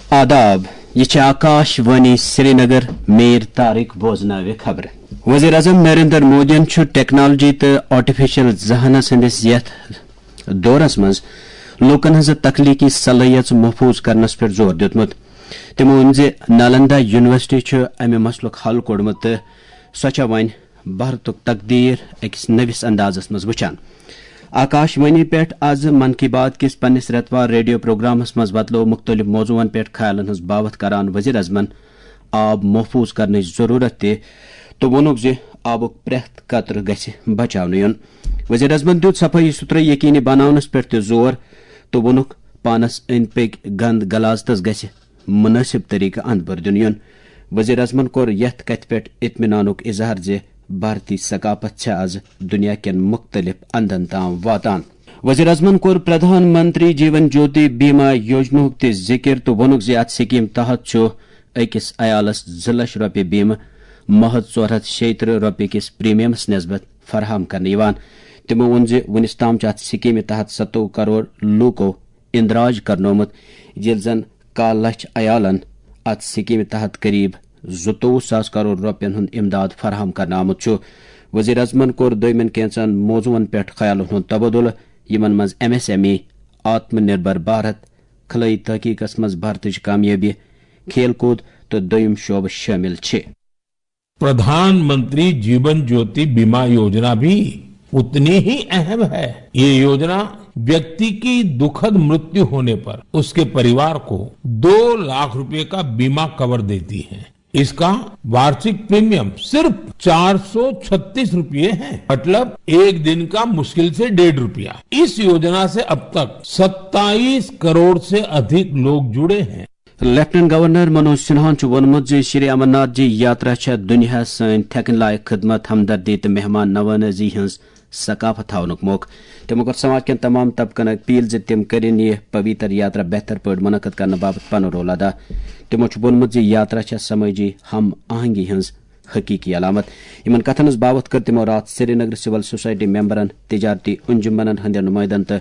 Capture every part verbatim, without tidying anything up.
آداب، یہِ چھِ آکاش وانی سرینگر۔ میر طارق بوزناوِ خبرٕ۔ وزیر اعظم نریندر مودیَن چھُ ٹیکنالوجی تہٕ آرٹیفیشل ذہانت سٕنٛدِس یَتھ دورس منٛز لوٗکن ہٕنٛز تخلیقی صلٲحیژ محفوظ کرنس پٮ۪ٹھ زور دیُتمُت۔ تِمو ووٚن زِ نالندا یونیورسٹی چھُ امہِ مسلُک حل کوٚڑمُت تہٕ سۄ چھےٚ وۄنۍ بھارتُک تقدیر أکِس نٔوِس اندازس منٛز وٕچھان۔ آکاش وانی پٮ۪ٹھ از من کی بات کِس پننِس رٮ۪توار ریڈیو پروگرامس منٛز وۄتلٲو مُختٔلِف موضوعن پٮ۪ٹھ خیالن ہٕنٛز باوتھ کران وزیر اعظمن آب محفوظ کرنٕچ ضروٗرت تہِ تہٕ ووٚنُکھ زِ آبُک پرٛٮ۪تھ قطرٕ گژھِ بچاونہٕ یُن۔ وزیر اعظمن دیُت صفٲیی ستھرٲیی یقینی بناونس پٮ۪ٹھ تہِ زور تہٕ ووٚنُکھ، پانس أنٛدۍ پٔکۍ گند غلاظتس گژھِ مناسب طریقہٕ اند بر دِنہٕ یُن۔ وزیر اعظمن کوٚر یتھ کتھِ پٮ۪ٹھ اطمینانُک اظہار زِ بھارتی ثقافت چھےٚ از دنیا کٮ۪ن مُختٔلِف اندن تام واتان۔ وزیر اعظمن کوٚر پردھان منتری جیون جیوتی بیما یوجناہُک تہِ ذکر تہٕ ووٚنُکھ زِ اتھ سکیٖم تحت چھُ أکِس عیالس زٕ لچھ رۄپیہِ بیمہٕ محض ژور ہتھ شیٚیہِ ترٕہ رۄپیہِ کِس پریمیم نسبت فراہم کرنہٕ یِوان۔ تِمو ووٚن زِ وُنِس تام چھِ اتھ سکیٖمہِ تحت ستووُہ کرور لوٗکو اندراج کرنومُت، ییٚلہِ زن کاہ لچھ عیالن اتھ سکیمہِ تحت قریب زٕتووُہ ساس کرور رۄپین ہُنٛد امداد فراہم کرنہٕ آمُت چھُ۔ وزیر اعظمن کوٚر دوٚیمٮ۪ن کینٛژن موضوعن پٮ۪ٹھ خیالن ہُنٛد تبادلہٕ، یِمن منٛز M S M E, Atma Nirbhar Bharat, خلٲیی تحقیقس منٛز بھارتٕچ کامیٲبی، کھیل کوٗد تہٕ دوٚیِم شعبہٕ شٲمِل چھِ۔ प्रधानमंत्री जीवन ज्योति बीमा योजना भी उतनी ही अहम है। ये योजना व्यक्ति की दुखद मृत्यु होने पर उसके परिवार को दो लाख रुपए का बीमा कवर देती है। इसका वार्षिक प्रीमियम सिर्फ चार सौ छत्तीस रुपये है, मतलब एक दिन का मुश्किल से डेढ़ रुपया। इस योजना से अब तक सत्ताईस करोड़ से अधिक लोग जुड़े हैं। لیفٹیننٹ گورنر منوج سنہاہن چھُ ووٚنمُت زِ شری امرناتھ جی یاترا چھےٚ دُنیاہَس سٲنۍ تھٮ۪کٕنۍ لایق خدمت، ہمدردی تہٕ مہمان نوازی ہٕنٛز ثقافت تھاونُک موقعہٕ۔ تِمو کوٚر سماج کٮ۪ن تمام طبقن اپیل زِ تِم کٔرِن یہِ پویتر یاترا بہتر پٲٹھۍ منعقد کرنہٕ باپتھ پنُن رول ادا۔ تِمو چھُ ووٚنمُت زِ یاترا چھےٚ سمٲجی ہم آہنگی ہٕنٛز حقیقی علامت۔ یِمن کتھن ہٕنٛز باوتھ کٔر تِمو راتھ سرینگر سول سوسائٹی ممبرن، تجارتی انجمنن ہٕنٛدٮ۪ن نمائندن تہٕ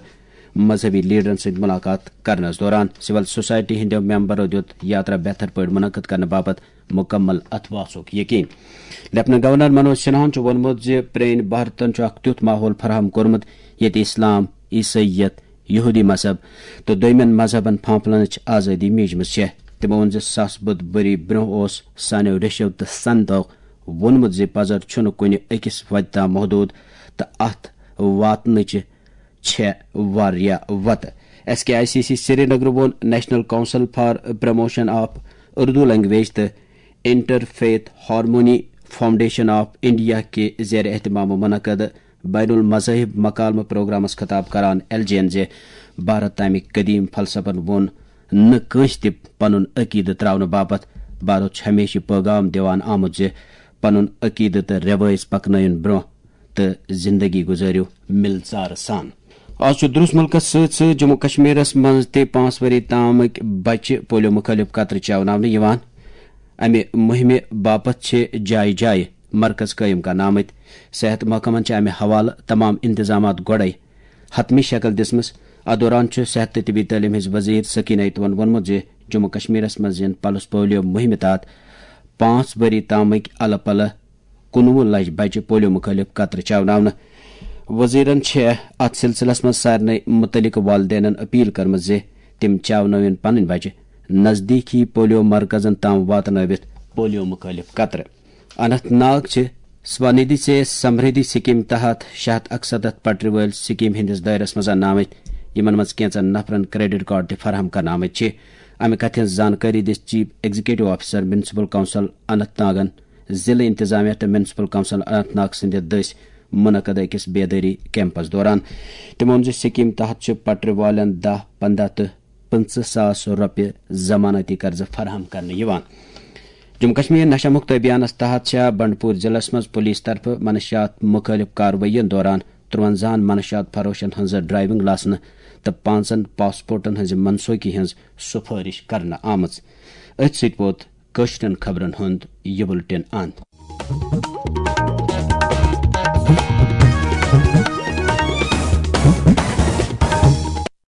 مذہبی لیڈرن سۭتۍ ملاقات کرنس دوران۔ سول سوسائٹی ہٕنٛدیو ممبرو دیُت یاترا بہتر پٲٹھۍ منعقد کرنہٕ باپتھ مکمل اتھواسُک یقین۔ لیفٹیننٹ گورنر منوج سنہاہن چھُ ووٚنمُت زِ پرٛٲنۍ بھارتن چھُ اکھ تیُتھ ماحول فراہم کوٚرمُت، ییٚتہِ اسلام، عیسائیت، یہودی مذہب تہٕ دوٚیمٮ۪ن مذہبن پھانپھلنٕچ آزٲدی میٖجمٕژ چھےٚ۔ تِمو ووٚن زِ ساس بُد ؤری برٛونٛہہ اوس سانیو ریشو تہٕ سنتو ووٚنمُت زِ پزر چھُنہٕ کُنہِ أکِس وتہِ تام محدوٗد تہٕ اتھ واتنٕچہِ چھےٚ واریاہ وتہٕ۔ S K I C C Srinagar ووٚن national council for promotion of Urdu language تہٕ inter faith harmony foundation of India کہِ زیر اہتمام منعقد بین المذاہب مکالمہٕ پروگرامس خطاب کران ایل جے ین زِ بھارت تامِکۍ قدیم فلسفن ووٚن نہٕ کٲنٛسہِ تہِ پنُن عقیدٕ ترٛاونہٕ باپتھ۔ بھارت چھُ ہمیشہِ یہِ پٲغام دِوان آمُت زِ پنُن عقیدٕ تہٕ رٮ۪وٲیژ پکنٲوِن برٛونٛہہ تہٕ زندگی گُزٲرِو مِلژارٕ سان۔ آز چھُ درٛوس مُلکس سۭتۍ سۭتۍ جموں کشمیرس منٛز تہِ پانٛژھ ؤری تامٕکۍ بچہِ پولیو مُخٲلِف قطرٕ چاوناونہٕ یِوان۔ امہِ مُہِمہِ باپتھ چھِ جایہِ جایہِ مرکز قٲیِم کرنہٕ آمٕتۍ۔ صحت محکمن چھِ امہِ حوالہٕ تمام انتظامات گۄڈے حتمی شکل دِژمٕژ۔ اتھ دوران چھُ صحت تہٕ طبی تعلیٖم ہٕنٛز وزیر سکینہ ایتوہن ووٚنمُت زِ جموں کشمیرس منٛز یِن پلس پولیو مُہِمہِ تحت پانٛژھ ؤری تامٕکۍ الہٕ پلہٕ کُنوُہ لچھ بچہِ پولیو مُخٲلِف قطرٕ چاوناونہٕ۔ وزیرن چھےٚ اتھ سلسلس منٛز سارنٕے مُتعلقہٕ والدینن اپیل کٔرمٕژ زِ تِم چاونٲوِن پنٕنۍ بچہِ نزدیٖکی پولیو مرکزن تام واتنٲوِتھ پولیو مُخٲلِف قطرٕ۔ اننت ناگ چھِ سوانِدھی سے سمردھی سکیٖم تحت شےٚ ہتھ اکسَتتھ پٹرِ وٲلۍ سکیٖم ہٕنٛدِس دٲیرس منٛز اننہٕ آمٕتۍ، یِمن منٛز کینٛژن نفرن کریڈٹ کارڈ تہِ فراہم کرنہٕ آمٕتۍ چھِ۔ امہِ کتھِ ہٕنٛز زانکٲری دِژ chief executive officer municipal council Anant ناگن ضلع انتظامیہ تہٕ میونسپل کونسل اننت ناگ سٕنٛدِ دٔسۍ منعقد أکِس بیدٲری کیمپس دوران۔ تِمو ووٚن زِ سکیٖم تحت چھِ پٹرِ والٮ۪ن دَہ، پنٛداہ تہٕ پٕنٛژٕہ ساس رۄپیہِ ضمانتی قرضہٕ فراہم کرنہٕ یِوان۔ جموں کشمیر نشہ مکت ابھیانس تحت چھےٚ بنڈپور ضلعس منٛز پولیس طرفہٕ منشیات مُخٲلِف کاروٲیین دوران ترٛوَنزاہن منشیات فروشن ہٕنٛز ڈرائیونگ لائسنس تہٕ پانٛژن پاسپورٹن ہٕنٛزِ منسوخی ہٕنٛز سفٲرش کرنہٕ آمٕژ۔ أتھۍ سۭتۍ ووت کٲشرٮ۪ن خبرن ہُنٛد یہِ بُلٹن اند۔